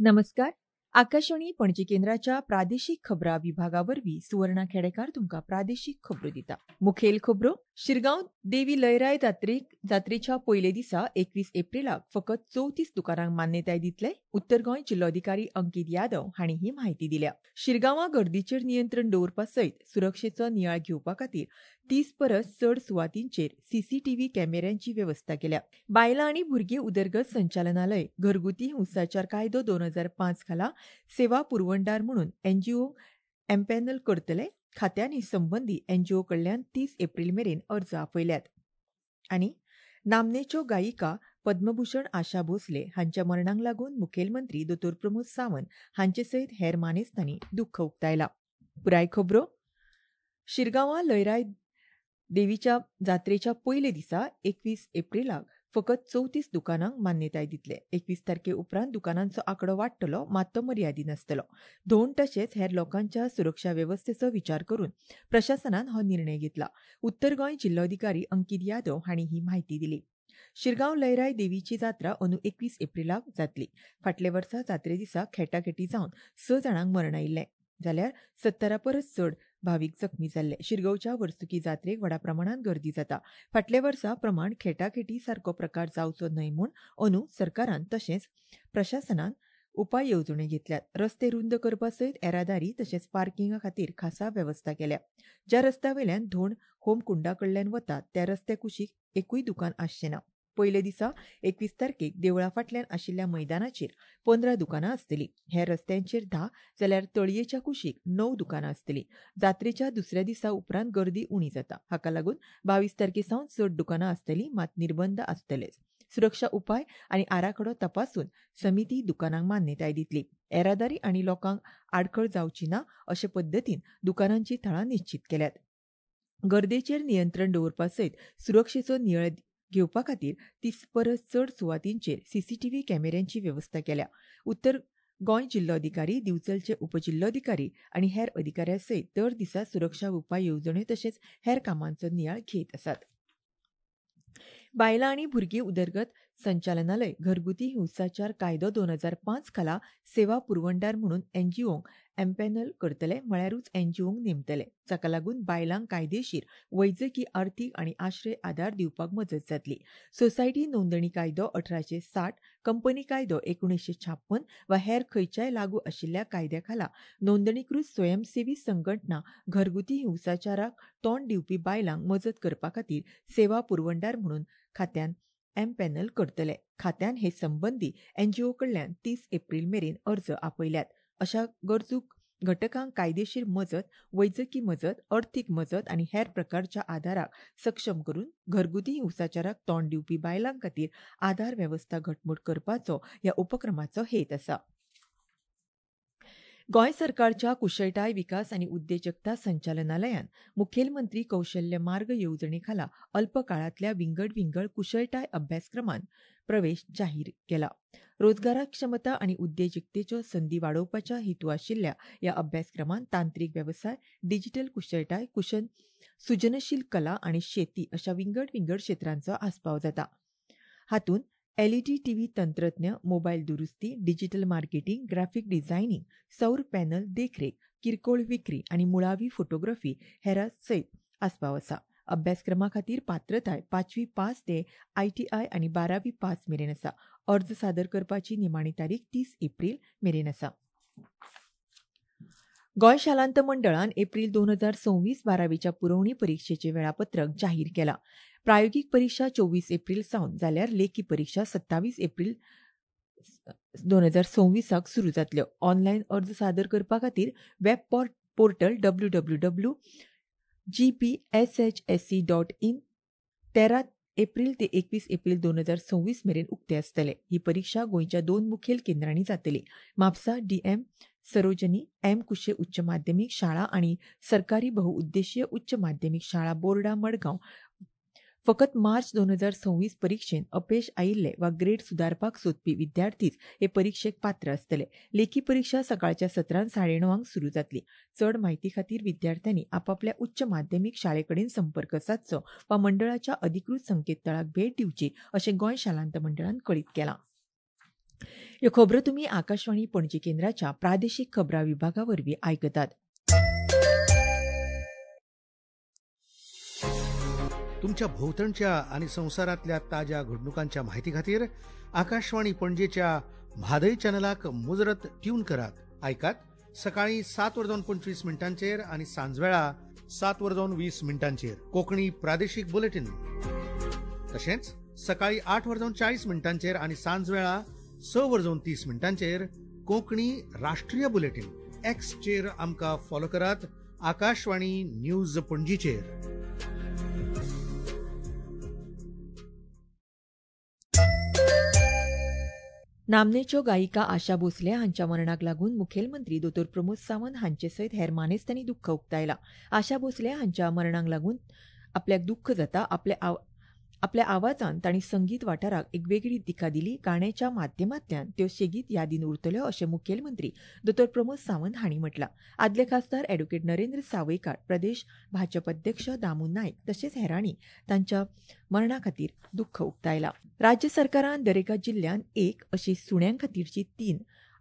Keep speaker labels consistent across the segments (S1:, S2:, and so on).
S1: नमस्कार, आकाशवाणी पणजी केंद्राच्या प्रादेशीक खबरां विभागा वरवीं सुवर्णा खेडेकार तुमकां प्रादेशीक खबरो दिता. मुखेल खबरो. शिरगांव देवी लयराय जात्रेच्या पयले दिसा 21 एप्रिलाक फकत 34 दुकानांक मान्यताय दितले. उत्तर गोंय जिल्लोधिकारी अंकित यादव हांणी ही म्हायती दिल्या. शिरगांवां गर्दीचेर नियंत्रण दवरपा सयत सुरक्षेचो नियाळ घेवपा खातीर 30 परस चड सुवातींचेर सीसीटीव्ही कॅमेऱ्यांची वेवस्था केल्या. बायलां आनी भुरगीं उदरगत संचालनालय घरगुती हिंसाचार कायदो 2005 खाला सेवा पुरवणदार म्हणून एनजीओ एम्पॅनल करतले. खात्यान ही संबंदी एनजीओ कडल्यान 30 एप्रिल मेरेन अर्ज आपयल्यात. आनी नामनेच्यो गायिका पद्मभूषण आशा भोसले हांच्या मरणाक लागून मुखेलमंत्री दोतोर प्रमोद सावंत हांचे सयत हेर मानेस्तांनी दुख्ख उक्तायलां. पुराय खबरो. शिरगांवां लयराय देवीच्या जात्रेच्या पयले दिसा 21 एप्रिलाक फकत 34 दुकानांक मान्यताय दितले. 21 तारखे उपरांत दुकानांचो आंकडो वाडटलो, मात तो मर्यादीत आसतलो. धोंड तशेंच हेर लोकांच्या सुरक्षा वेवस्थेचो विचार करून प्रशासनान हो निर्णय घेतला. उत्तर गोंय जिल्लोधिकारी अंकित यादव हांणी ही म्हायती दिली. शिरगांव लयराय देवीची जात्रा अंदू 21 एप्रिलाक जातली. फाटल्या वर्सा जात्रे दिसा खेटाखेटी जावन 6 जाणांक मरण आयिल्लें, जाल्यार 70 परस चड भावीक जखमी जाल्ले. शिरगांवच्या वर्सुकी जात्रेक व्हडा प्रमाणांत गर्दी जाता. फाटल्या वर्सा प्रमाण खेटाखेटी सारको प्रकार जावचो न्हय म्हूण अंदू सरकारान तशेंच प्रशासनान उपाय येवजण्यो घेतल्यात. रस्ते रुंद करपा सयत येरादारी तशेंच पार्किंगा खातीर खासा वेवस्था केल्या. ज्या रस्त्या वयल्यान धोंड होमकुंडा कडल्यान वतात त्या रस्त्या कुशीक एकूय दुकान आसचें ना. पयले दिसा 21 तारखेक देवळा फाटल्यान आशिल्ल्या मैदानाचेर 15 दुकानां आसतलीं. हेर रस्त्यांचेर 10 जाल्यार तळयेच्या कुशीक 9 दुकानां आसतलीं. जात्रेच्या दुसऱ्या दिसा उपरांत गर्दी उणी जाता. हाका लागून 22 तारखे सावन चड दुकानां आसतलीं, मात निर्बंध आसतलेच. सुरक्षा उपाय आनी आराखडो तपासून समिती दुकानांक मान्यताय दितली. येरादारी आनी लोकांक आडखळ जावची ना अशे पद्दतीन दुकानांची थळां निश्चीत केल्यात. गर्देचेर नियंत्रण दवरपा सयत सुरक्षेचो नियाळ घेवपा खातीर 30 परस चड सुवातींचेर सीसीटीव्ही कॅमेऱ्यांची वेवस्था केल्या. उत्तर गोंय जिल्लोधिकारी, दिवचलचे उपजिल्लोधिकारी आनी हेर अधिकाऱ्यां सयत दर दिसा सुरक्षा उपाय येवजण्यो तशेंच हेर कामांचो नियाळ घेत आसात. बायलां आनी भुरगीं उदरगत संचालनालय घरगुती हिंसाचार कायदो 2005 खाला सेवा पुरवणदार म्हणून एनजीओंक एम्पॅनल करतले, म्हळ्यारूच एनजीओंक नेमतले. जाका लागून बायलांक कायदेशीर, वैजकी, अर्थीक आनी आश्रय आदार दिवपाक मजत जातली. सोसायटी नोंदणी कायदो 1860, कंपनी कायदो 1956 वा हेर खंयच्याय लागू आशिल्ल्या कायद्या खाला नोंदणीकृत स्वयंसेवी संघटना घरगुती हिंसाचाराक तोंड दिवपी बायलांक मजत करपा खातीर सेवा पुरवणदार म्हणून खात्यान एम्पॅनल करतले. खात्यान हे संबंदी एनजीओ कडल्यान 30 एप्रिल मेरेन अर्ज आपयल्यात. अशा गरजू घटकांक कायदेशीर मजत, वैजकी मजत, अर्थीक मजत आनी हेर प्रकारच्या आदाराक सक्षम करून घरगुती हिंसाचाराक तोंड दिवपी बायलां खातीर आदार वेवस्था घटमूट करपाचो ह्या उपक्रमाचो हेत आसा. गोंय सरकारच्या कुशळटाय विकास आनी उद्देजकता संचालनालयान मुखेलमंत्री कौशल्य मार्ग येवजणे खाला अल्प काळांतल्या विंगड विंगड कुशळटाय अभ्यासक्रमांत प्रवेश जाहीर केला. रोजगारक्षमता आनी उद्देजकतेच्यो संदी वाडोवपाच्या हेतू आशिल्ल्या ह्या अभ्यासक्रमांत तांत्रीक वेवसाय, डिजिटल कुशळटाय, सृजनशील कला आनी शेती अशा विंगड विंगड क्षेत्रांचो आस्पाव जाता. हातूंत एलईडी टीव्ही तंत्रज्ञ, मोबायल दुरुस्ती, डिजिटल मार्केटिंग, ग्राफिक डिझायनिंग, सौर पॅनल देखरेख, किरकोळ विक्री आनी मुळावी फोटोग्राफी हेरां सयत आस्पाव आसा. अभ्यासक्रमा खातीर पात्रताय 5वी पास ते आयटीआय आनी 12वी पास मेरेन आसा. अर्ज सादर करपाची निमाणी तारीख 30 एप्रिल मेरेन आसा. गोंय शालांत मंडळान एप्रिल 2026 12वीच्या पुरवणी परिक्षेचें वेळापत्रक जाहीर केलां. प्रायोगीक परिक्षा 24 एप्रिल सावन जाल्यार लेखी परिक्षा 27 एप्रिल 2026 सुरू जातल्यो. ऑनलायन अर्ज सादर करपा खातीर वेब पोर्टल www.gbshsc.in 13 April ते 21 एप्रिल 2026 मेरेन उक्ते आसतले. ही परिक्षा गोंयच्या 2 मुखेल केंद्रांनी जातली. म्हापसा डीएम सरोजनी एम कुशे उच्च माध्यमीक शाळा आनी सरकारी बहुउद्देशीय उच्च माध्यमीक शाळा बोर्डा मडगांव फकत मार्च 2026 परिक्षेत अपेश आयिल्ले वा ग्रेड सुदारपाक सोदपी विद्यार्थीच हे परिक्षेक पात्र आसतले. लेखी परिक्षा सकाळच्या सत्रांत 9:30 सुरू जातली. चड म्हायती खातीर विद्यार्थ्यांनी आपापल्या उच्च माध्यमीक शाळे कडेन संपर्क सादचो वा मंडळाच्या अधिकृत संकेतथळाक भेट दिवची अशें गोंय शालांत मंडळान कळीत केलां. ह्यो खबरो तुमी आकाशवाणी पणजी केंद्राच्या प्रादेशीक खबरां विभागा वरवीं आयकतात.
S2: तुमच्या भोवतणच्या आनी संवसारांतल्या ताज्या घडणुकांच्या माहिती खातीर आकाशवाणी पणजेच्या म्हादय चॅनलाक मुजरत ट्यून करात. आयकात सकाळी 7:25 आनी सांजवेळा 7:20 कोंकणी प्रादेशीक बुलेटीन. तशेंच सकाळी 8:40 आनी सांजवेळा 6:30 कोंकणी राष्ट्रीय बुलेटीन. एक्सचेर आमकां फॉलो करात आकाशवाणी न्यूज पणजीचेर.
S1: नामनेच्यो गायिका आशा भोसले हांच्या मरणाक लागून मुखेलमंत्री दोतोर प्रमोद सावंत हांचे सयत हेर मानेस्तांनी दुख्ख उक्तायला. आशा भोसले हांच्या मरणाक लागून आपल्याक दुख्ख जाता. आपल्या आवाजान तांणी संगीत वाठाराक एक वेगळी दिका दिली. गाण्याच्या माध्यमांतल्यान त्यो सेगीत यादीन उरतल्यो अशें मुखेलमंत्री दोतोर प्रमोद सावंत हांणी म्हटलां. आदले खासदार ॲडव्होकेट नरेंद्र सावयकार, प्रदेश भाजप अध्यक्ष दामू नायक तशेंच हेरांनी तांच्या मरणा खातीर दुख्ख उक्तायलां. राज्य सरकारान दरेका जिल्ल्यांत एक अशी सुण्यां खातीरची 3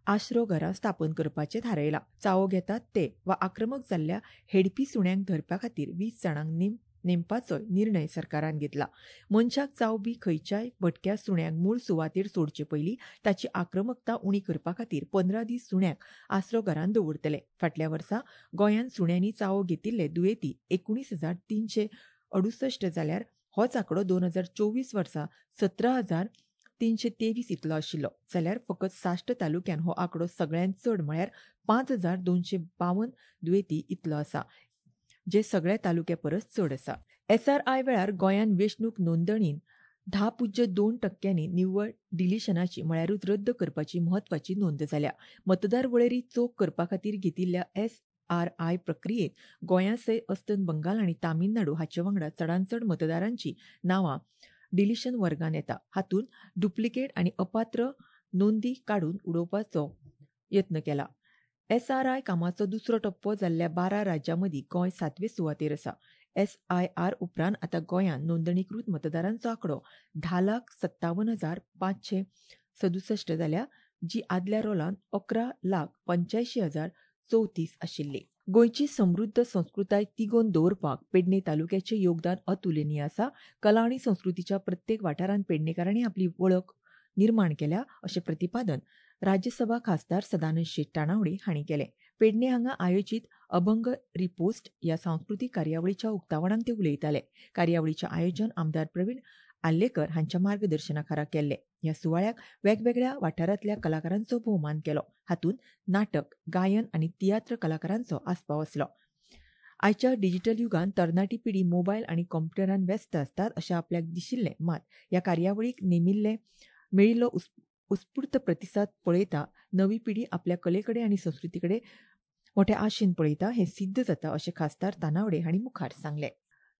S1: आश्रो घरां स्थापन करपाचें थारायलां. चावो घेतात ते वा आक्रमक जाल्ल्या हेडपी सुण्यांक धरपा खातीर 20 जाणांक नेमपाचो निर्णय सरकारान घेतला. मनशाक चावपी खंयच्याय भटक्या सुण्यांक मूळ सुवातेर सोडचे पयलीं ताची आक्रमकता उणी करपा खातीर 15 दीस सुण्यांक आसरो घरांत दवरतले. फाटल्या वर्सा गोंयांत सुण्यांनी चावो घेतिल्ले दुयेंती 19,368 जाल्यार होच आंकडो 2024 वर्सा 17,323 इतलो आशिल्लो. जाल्यार फकत साश्ट तालुक्यान हो आंकडो सगळ्यांत चड म्हळ्यार 5,252 दुयेंती इतलो आसा, जे सगळ्या तालुक्या परस चड आसा. एसआरआय वेळार गोंयांत वेंचणूक नोंदणीन 10.2% निव्वळ डिलिशनाची म्हळ्यारूच रद्द करपाची म्हत्वाची नोंद जाल्या. मतदार वळेरी चोख करपा खातीर घेतिल्ल्या एसआरआय प्रक्रियेत गोंया सयत अस्तंत बंगाल आनी तामिळनाडू हाचे वांगडा चडांत चड मतदारांची नांवां डिलिशन वर्गान येता. हातूंत डुप्लिकेट आनी अपात्र नोंदी काडून उडोवपाचो यत्न केला. एसआरआय कामाचो दुसरो टप्पो जाल्ल्या 12 राज्यां मदीं गोंय 7वे सुवातेर आसा. एसआयआर उपरांत आतां गोंयांत नोंदणीकृत मतदारांचो आंकडो 10,57,567 जाल्या, जी आदल्या रोलांत 11,85,034 आशिल्ली. गोंयची समृद्ध संस्कृताय तिगोवन दवरपाक पेडणे तालुक्याचें योगदान अतुलनीय आसा. कला आनी संस्कृतीच्या प्रत्येक वाठारांत पेडणेकारांनी आपली वळख निर्माण केल्या अशें प्रतिपादन राज्यसभा खासदार सदानंद शेट तानावडे हांणी केलें. पेडणे हांगा आयोजीत अभंग रिपोस्ट ह्या सांस्कृतीक कार्यावळीच्या उक्तावणाक ते उलयताले. कार्यावळीचें आयोजन आमदार प्रवीण आर्लेकर हांच्या मार्गदर्शनाखाला केल्लें. ह्या सुवाळ्याक वेगवेगळ्या वाठारांतल्या कलाकारांचो भोवमान केलो. हातूंत नाटक, गायन आनी तियात्र कलाकारांचो आस्पाव आसलो. आयच्या डिजिटल युगांत तरणाटी पिढी मोबायल आनी कॉम्प्युटरान व्यस्त आसतात अशें आपल्याक दिशिल्लें, मात ह्या कार्यावळीक मेळिल्लो उत्स्फूर्त प्रतिसाद पळयता नवी पिढी आपल्या कलेकडे आनी संस्कृतीकडे मोठ्या आशेन पळयता हें सिद्ध जाता अशें खासदार तानावडे हांणी मुखार सांगलें.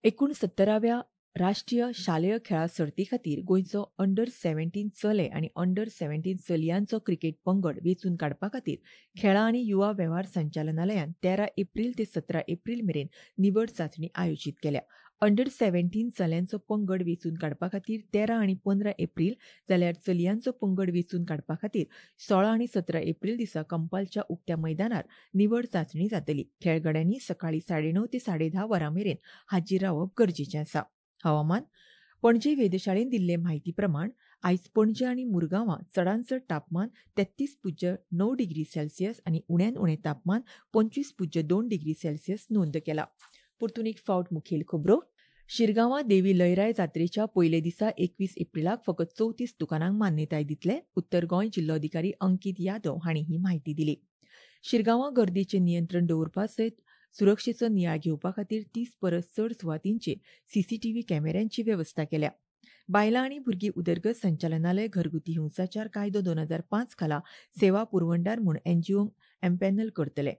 S1: 69व्या राष्ट्रीय शालेय खेळां सर्ती खातीर गोंयचो अंडर 17 चले आनी अंडर 17 चलयांचो क्रिकेट पंगड वेंचून काडपा खातीर खेळां आनी युवा वेव्हार संचालनालयान 13 एप्रील ते 17 एप्रील मेरेन निवड चांचणी आयोजीत केल्या. अंडर 17 चल्यांचो पंगड वेंचून काडपा खातीर 13 आनी 15 एप्रील जाल्यार चलयांचो पंगड वेंचून काडपा खातीर 16 आनी 17 एप्रील दिसा कंपालच्या उक्त्या मैदानार निवड चांचणी जातली. खेळगड्यांनी सकाळी 9:30 ते 10:30 वरां मेरेन हाजीर रावप गरजेचें आसा. हवामान. पणजे वेधशाळेन दिल्ले म्हायती प्रमाण आयज पणजे आनी मुरगांवां चडांत चड तापमान 33.9 डिग्री सेल्सियस आनी उण्यांत उणें तापमान 25.2 डिग्री सेल्सियस नोंद केला. परतून एक फावट मुखेल खबरो. शिरगांवां देवी लयराय जात्रेच्या पयले दिसा 21 एप्रिलाक फकत 34 दुकानांक मान्यताय दितले. उत्तर गोंय जिल्लोधिकारी अंकित यादव हांणी ही म्हायती दिली. शिरगांवां गर्दीचें नियंत्रण दवरपा सयत सुरक्षेचो नियाळ घेवपा खातीर 30 परस चड सुवातींचेर सीसीटीव्ही कॅमेऱ्यांची वेवस्था केल्या. बायलां आनी भुरगीं उदरगत संचालनालय घरगुती हिंसाचार कायदो 2005 खाला सेवा पुरवणदार म्हूण एनजीओंक एम्पॅनल करतले.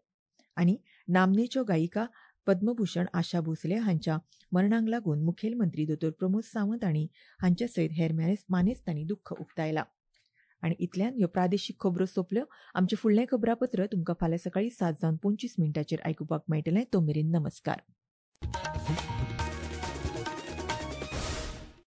S1: आनी नामनेच्यो गायिका पद्मभूषण आशा भोसले हांच्या मरणाक लागून मुखेलमंत्री दोतोर प्रमोद सावंत आनी हांच्या सयत हेर मानेस्तांनी दुख्ख उक्तायलां. आनी इतल्यान ह्यो प्रादेशीक खबरो सोंपल्यो. आमचें फुडलें खबरापत्र तुमकां फाल्यां सकाळीं 7:25 आयकुपाक मेळटलें. तो मेरेन नमस्कार.